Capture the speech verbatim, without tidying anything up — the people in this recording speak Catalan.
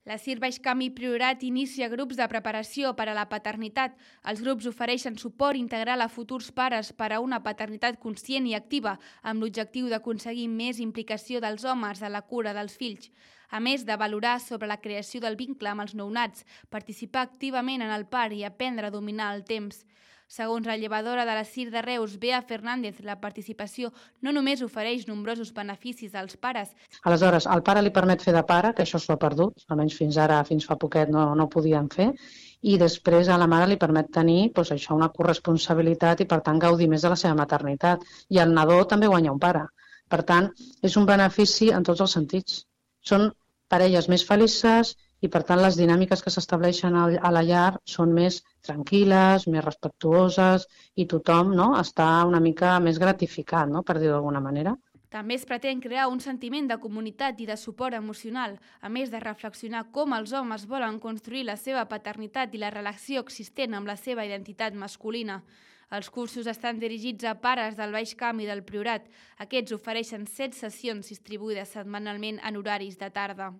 La CIR Baix Camp i Priorat inicia grups de preparació per a la paternitat. Els grups ofereixen suport integral a futurs pares per a una paternitat conscient i activa, amb l'objectiu d'aconseguir més implicació dels homes a la cura dels fills. A més de valorar sobre la creació del vincle amb els nounats, participar activament en el part i aprendre a dominar el temps. Segons la llevadora de la CIR de Reus, Bea Fernández, la participació no només ofereix nombrosos beneficis als pares. Aleshores, al pare li permet fer de pare, que això s'ho ha perdut, almenys fins ara, fins fa poquet, no, no ho podien fer, i després a la mare li permet tenir doncs, això, una corresponsabilitat i, per tant, gaudir més de la seva maternitat. I el nadó també guanya un pare. Per tant, és un benefici en tots els sentits. Són parelles més felices i, per tant, les dinàmiques que s'estableixen a la llar són més tranquil·les, més respectuoses i tothom, no?, està una mica més gratificat, no?, per dir-ho d'alguna manera. També es pretén crear un sentiment de comunitat i de suport emocional, a més de reflexionar com els homes volen construir la seva paternitat i la relació existent amb la seva identitat masculina. Els cursos estan dirigits a pares del Baix Camp i del Priorat. Aquests ofereixen set sessions distribuïdes setmanalment en horaris de tarda.